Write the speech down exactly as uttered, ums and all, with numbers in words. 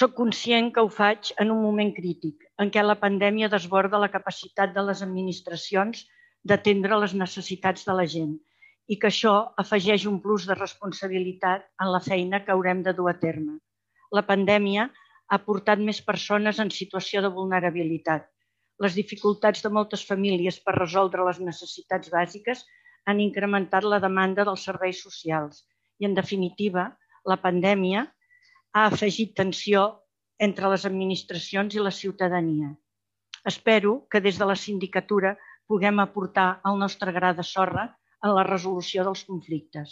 Soc conscient que ho faig en un moment crític, en què la pandèmia desborda la capacitat de les administracions d'atendre les necessitats de la gent i que això afegeix un plus de responsabilitat en la feina que haurem de dur a terme. La pandèmia ha portat més persones en situació de vulnerabilitat. Les dificultats de moltes famílies per resoldre les necessitats bàsiques han incrementat la demanda dels serveis socials i, en definitiva, la pandèmia ha afegit tensió entre les administracions i la ciutadania. Espero que des de la sindicatura puguem aportar el nostre gra de sorra en la resolució dels conflictes.